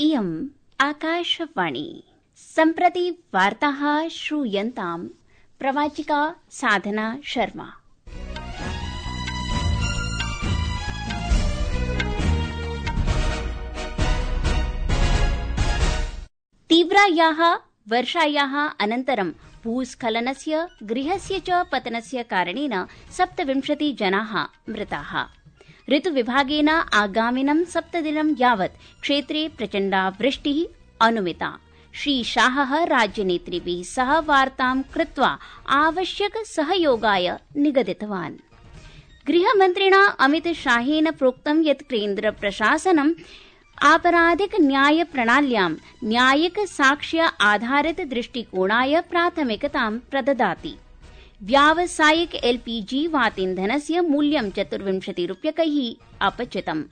इयम् आकाशवाणी। सम्प्रति वार्ताः श्रूयन्ताम् प्रवाचिका साधना शर्मा। तीव्रायाः वर्षायाः अनन्तरं भूस्खलनस्य गृहस्य च पतनस्य कारणेन 27 जनाः मृताः। ऋतुविभागेन आगामिनं 7 दिनं यावत् क्षेत्रे प्रचण्डा वृष्टिः अनुमिता। श्रीशाहः राज्यनेतृभिः सह वार्तां कृत्वा आवश्यक सहयोगाय निगदितवान्। गृहमन्त्रिणा अमितशाहेन प्रोक्तं यत् केन्द्रप्रशासनं आपराधिक न्याय प्रणाल्यां न्यायिक साक्ष्य आधारित दृष्टिकोणाय प्राथमिकतां प्रददाति। व्यावसायिक एलपीजी वातीन्धनस्य मूल्यं 24 रूप्यकैः अपचितम्।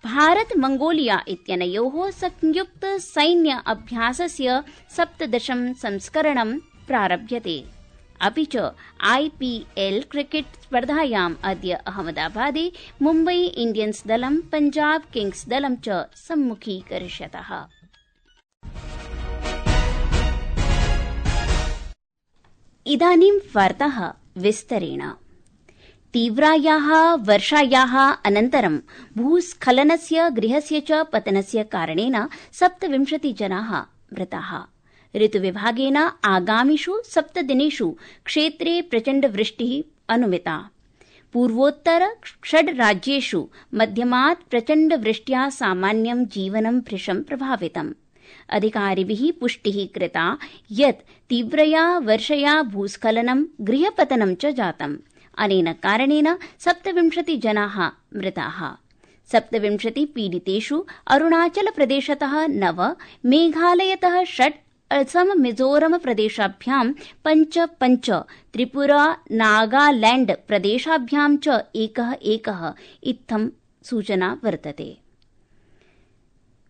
भारत मंगोलिया इत्यनयोः संयुक्त सैन्य अभ्यासस्य 17 संस्करणं प्रारभ्यते। अपि च आईपीएल क्रिकेट स्पर्धायाम् अद्य अहमदाबादे मुम्बई इंडियन्स दलं पंजाब किंग्स दलं च सम्मुखीकरिष्यतः। इदानीं वार्ताः विस्तरेण। तीव्रायाः वर्षायाः अनन्तरं भूस्खलनस्य गृहस्य च पतनस्य कारणेन 27 जनाः मृताः। ऋतुविभागेन आगामिषु 7 दिनेषु क्षेत्रे प्रचण्डवृष्टिः अनुमिता। पूर्वोत्तर 6 राज्येषु मध्यमात् प्रचण्डवृष्ट्या सामान्यं जीवनं भृशं प्रभावितम्। अधिकारिभिः पुष्टिः कृता यत् तीव्रया वर्षया भूस्खलनं गृहपतनं च जातम्। अनेन कारणेन 27 जनाः मृताः। 27 पीडितेषु अरुणाचलप्रदेशतः 9, मेघालयतः 6, असम मिजोरम प्रदेशाभ्यां 5, त्रिपुरा नागालैंड प्रदेशाभ्यां च एकः इत्थं सूचना वर्तते।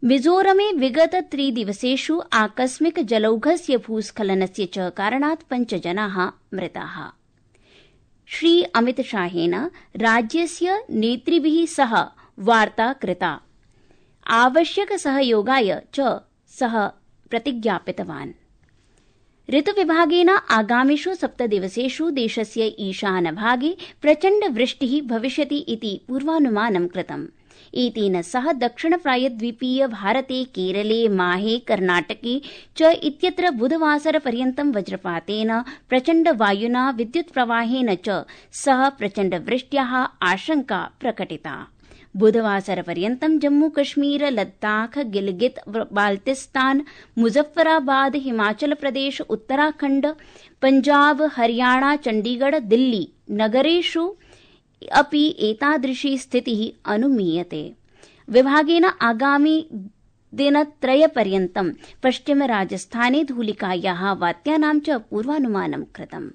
मिजोरमे विगत 3 दिवसेषु आकस्मिक जलौघस्य भूस्खलनस्य च कारणात् 5 जनाः मृताः। श्री अमितशाहेन राज्यस्य नेतृभिः सह वार्ता कृता। आवश्यक सहयोगाय च सः प्रतिज्ञापितवान्। ऋतुविभागेन आगामिषु 7 दिवसेषु देशस्य ईशानभागे प्रचण्डवृष्टिः भविष्यति इति पूर्वानुमानं कृतम्। एतेन सह दक्षिणप्रायद्वीपीय भारते केरले माहे कर्णाटके च इत्यत्र बुधवासरपर्यन्तं वज्रपातेन प्रचण्डवायुना विद्युत्प्रवाहेन च सह प्रचण्डवृष्ट्याः आशंका प्रकटिता। बुधवासरपर्यन्तं जम्मूकश्मीर लद्दाख गिलगित बाल्तिस्तान मुजफ्फराबाद हिमाचलप्रदेश उत्तराखण्ड पंजाब हरियाणा चण्डीगढ़ दिल्ली नगरेषु अपि एतादृशी स्थितिः अनुमीयते। विभागेन आगामि दिनत्रयपर्यन्तं पश्चिमराजस्थाने धूलिकायाः वात्यानां च पूर्वानुमानं कृतम्।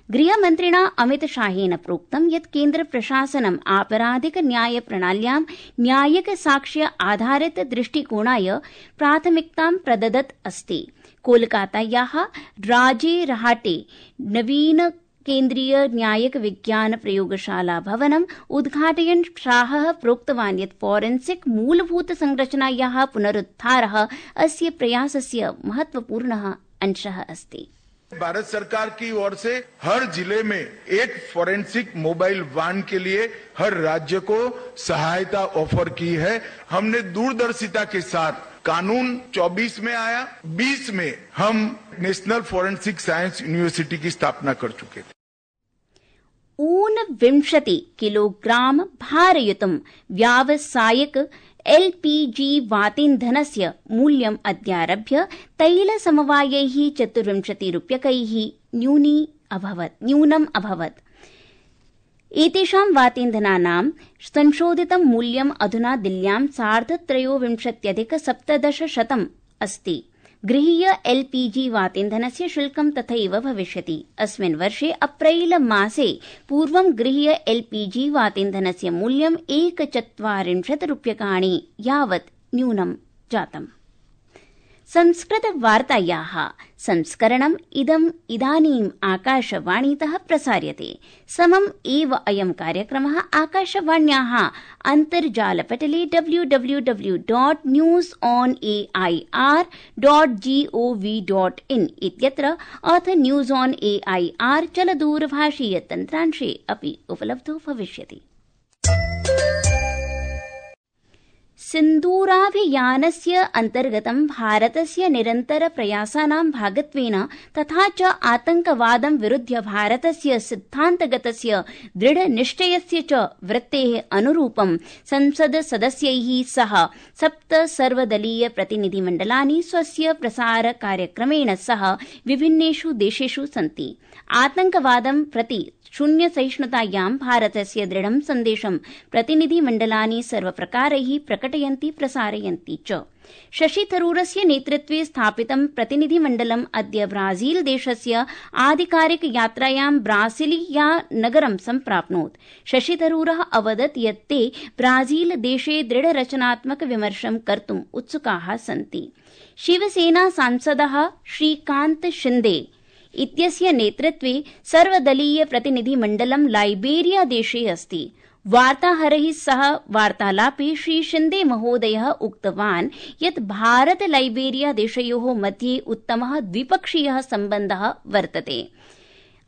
गृहमन्त्रिणा अमितशाहेन प्रोक्तं यत् केन्द्रप्रशासनं आपराधिक न्याय प्रणाल्यां न्यायिक साक्ष्य आधारित दृष्टिकोणाय प्राथमिकतां प्रददत् अस्ति। कोलकातायाः राजेरहाटे नवीन केन्द्रीय न्यायिक विज्ञान प्रयोगशाला भवनम् उद्घाटयन् शाहः प्रोक्तवान् यत् फोरेंसिक मूलभूत संरचनायाः पुनरुद्धारः अस्य प्रयासस्य महत्वपूर्णः अंशः अस्ति। भारत सरकार की ओर से हर जिले में एक फोरेंसिक मोबाइल वान के लिए हर राज्य को सहायता ऑफर की है। हमने दूरदर्शिता के साथ कानून 24 में आया, 20 में हम नेशनल फोरेंसिक साइंस यूनिवर्सिटी की स्थापना कर चुके थे। 29 किलोग्राम भारयुतं व्यावसायिक एलपीजी वातीन्धनस्य मूल्यम् अद्यारभ्य तैलसमवायैः 24 रूप्यकैः न्यूनम् अभवत्। एतेषां वातीन्धनानां संशोधितं मूल्यम् अधुना दिल्ल्यां 23,17,1700 अस्ति। गृहीय एलपीजी वातीन्धनस्य शुल्कं तथैव भविष्यति। अस्मिन् वर्षे अप्रैल मासे पूर्वं गृहीय एलपीजी वातीन्धनस्य मूल्यं 1,40 रूप्यकाणि यावत् न्यूनं जातम्। संस्कृतवार्तायाः संस्करणम् इदानीम् आकाशवाणीतः प्रसार्यते। समम् एव अयं कार्यक्रमः आकाशवाण्याः अन्तर्जालपटले www.newsonair.gov.in इत्यत्र अथ न्यूज़ ऑन एआईआर चलदूरभाषीयतन्त्रांशे अपि उपलब्धो भविष्यति। सिन्दूराभियानस्य अन्तर्गतं भारतस्य निरन्तरप्रयासानां भागत्वेन तथा च आतङ्कवादं विरुध्य भारतस्य सिद्धान्तगतस्य दृढनिश्चयस्य च वृत्तेः अनुरूपं संसदसदस्यैः सह 7 सर्वदलीय प्रतिनिधिमण्डलानि स्वस्य प्रसारकार्यक्रमेण सह विभिन्नेषु देशेषु सन्ति। आतङ्कवादं प्रति शून्यसहिष्णुतायां भारतस्य दृढं सन्देशं प्रतिनिधिमण्डलानि सर्वप्रकारैः प्रकटयन्ति प्रसारयन्ति च। शशि थरूरस्य नेतृत्वे स्थापितं प्रतिनिधिमण्डलम् अद्य ब्राजील देशस्य आधिकारिकयात्रायां ब्रासिलिया नगरं सम्प्राप्नोत्। शशि थरूरः अवदत् यत् ते ब्राजील देशे दृढरचनात्मक विमर्शं कर्तुम् उत्सुकाः सन्ति। शिवसेना सांसदः श्रीकान्त शिन्दे इत्यस्य नेतृत्वे सर्वदलीय प्रतिनिधिमण्डलं लाइबेरिया देशे अस्ति। वार्ताहरैः सह वार्तालापे श्री शिन्दे महोदयः उक्तवान् यत् भारत लाइबेरिया देशयोः मध्ये उत्तमः द्विपक्षीयः सम्बन्धः वर्तते।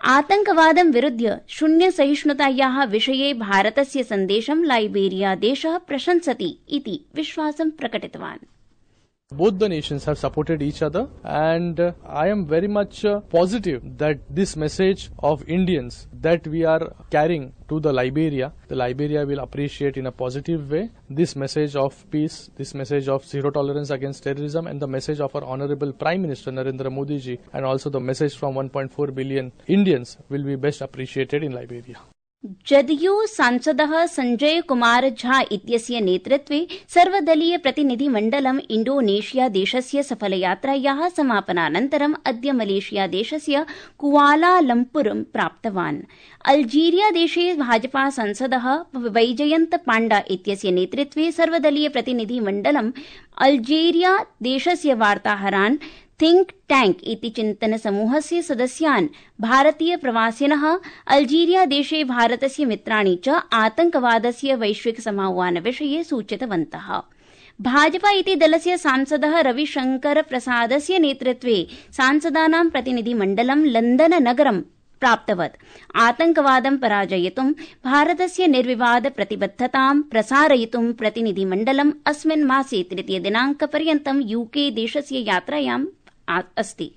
आतङ्कवादं विरुध्य शून्यसहिष्णुतायाः विषये भारतस्य सन्देशं लाइबेरिया देशः प्रशंसति इति विश्वासं प्रकटितवान्। Both the nations have supported each other, and I am very much positive that this message of Indians that we are carrying to the Liberia will appreciate in a positive way. This message of peace, this message of zero tolerance against terrorism, and the message of our Honorable Prime Minister Narendra Modi ji, and also the message from 1.4 billion Indians will be best appreciated in Liberia. JDU सांसदः संजय कुमार झा इत्यस्य नेतृत्वे सर्वदलीय प्रतिनिधिमण्डलम् इंडोनेशिया देशस्य सफलयात्रायाः समापनानन्तरम् अद्य Malaysia देशस्य कुआलालम्पुरं प्राप्तवान्। Algeria देशे भाजपा सांसदः वैजयन्त पाण्डा इत्यस्य नेतृत्वे सर्वदलीय प्रतिनिधिमण्डलम् अल्जीरिया देशस्य वार्ताहरान् थिंक टैंक इति चिन्तन समूहस्य सदस्यान् भारतीय प्रवासिनः अल्जीरिया देशे भारतस्य मित्राणि च आतङ्कवादस्य वैश्विक समाह्वान विषये सूचितवन्तः। भाजपा इति दलस्य सांसदः रविशंकर प्रसादस्य नेतृत्वे सांसदानां प्रतिनिधिमण्डलं लंदन नगरं प्राप्तवत्। आतङ्कवादं पराजयितुं भारतस्य निर्विवाद प्रतिबद्धतां प्रसारयितुं प्रतिनिधिमण्डलम् अस्मिन् मासे 3 दिनाङ्कपर्यन्तं यूके देशस्य यात्रायाम् अस्ति।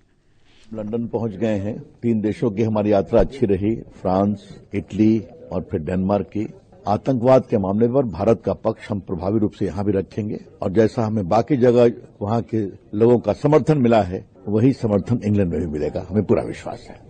लंदन पहुंच गए हैं। 3 देशों की हमारी यात्रा अच्छी रही, फ्रांस, इटली और फिर डेनमार्क की। आतंकवाद के मामले पर भारत का पक्ष हम प्रभावी रूप से यहाँ भी रखेंगे और जैसा हमें बाकी जगह वहाँ के लोगों का समर्थन मिला है वही समर्थन इंग्लैंड में भी मिलेगा, हमें पूरा विश्वास है।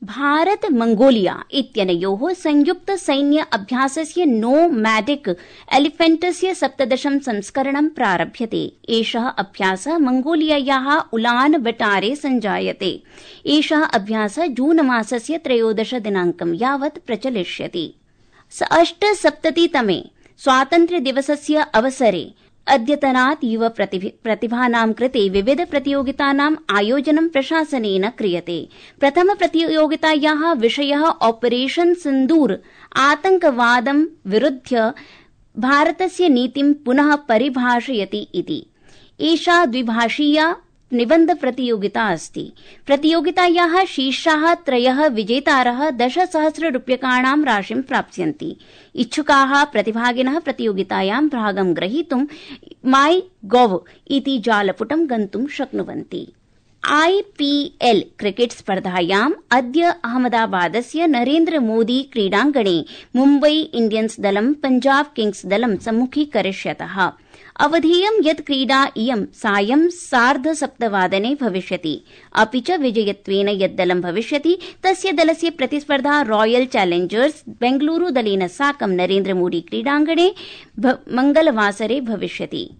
भारत मंगोलिया इत्यनयोः संयुक्त सैन्य अभ्यासस्य नोमैडिक एलिफेंटस्य 17 संस्करणं प्रारभ्यते। एषः अभ्यासः मंगोलियायाः उलान बटारे सञ्जायते। एषः अभ्यासः जून मासस्य 13 दिनाङ्कं यावत् प्रचलिष्यति। 78तमे स्वातन्त्र्यदिवसस्य अवसरे अद्यतनात् युव प्रतिभानां कृते विविध प्रतियोगितानाम् आयोजनं प्रशासनेन क्रियते। प्रथम प्रतियोगितायाः विषयः ऑपरेशन सिन्दूर आतङ्कवादं विरुध्य भारतस्य नीतिं पुनः परिभाषयति इति। एषा द्विभाषीया निबन्ध प्रतियोगिता अस्ति। प्रतियोगितायाः शीर्षाः 3 विजेतारः 10,000 रूप्यकाणां राशिं प्राप्स्यन्ति। इच्छुकाः प्रतिभागिनः प्रतियोगितायां भागं ग्रहीतुं माई.गॉव इति जालपुटं गन्तुं शक्नुवन्ति। IPL क्रिकेट स्पर्धायाम् अद्य अहमदाबादस्य नरेन्द्र मोदी क्रीडाङ्गणे मुम्बई इंडियन्स दलं पंजाब किंग्स दलं सम्मुखीकरिष्यतः। अवधेयं यत् क्रीडा इयं सायं 7:30 भविष्यति। अपि च विजयत्वेन यत् दलं भविष्यति तस्य दलस्य प्रतिस्पर्धा रॉयल चैलेंजर्स बेंगलुरु दलेन साकं नरेन्द्र मोदी क्रीडाङ्गणे मंगलवासरे भविष्यति।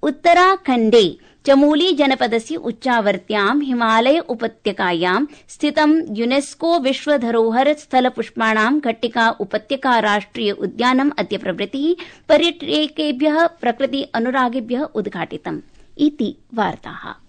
उत्तराखण्डे चमोली जनपदस्य उच्चावर्त्यां हिमालय उपत्यकायां स्थितं यूनेस्को विश्वधरोहर स्थल पुष्पाणां घट्टिका उपत्यका राष्ट्रिय उद्यानम् अद्य प्रभृतिः पर्यटकेभ्यः प्रकृति अनुरागिभ्यः उद्घाटितम् इति वार्ताः।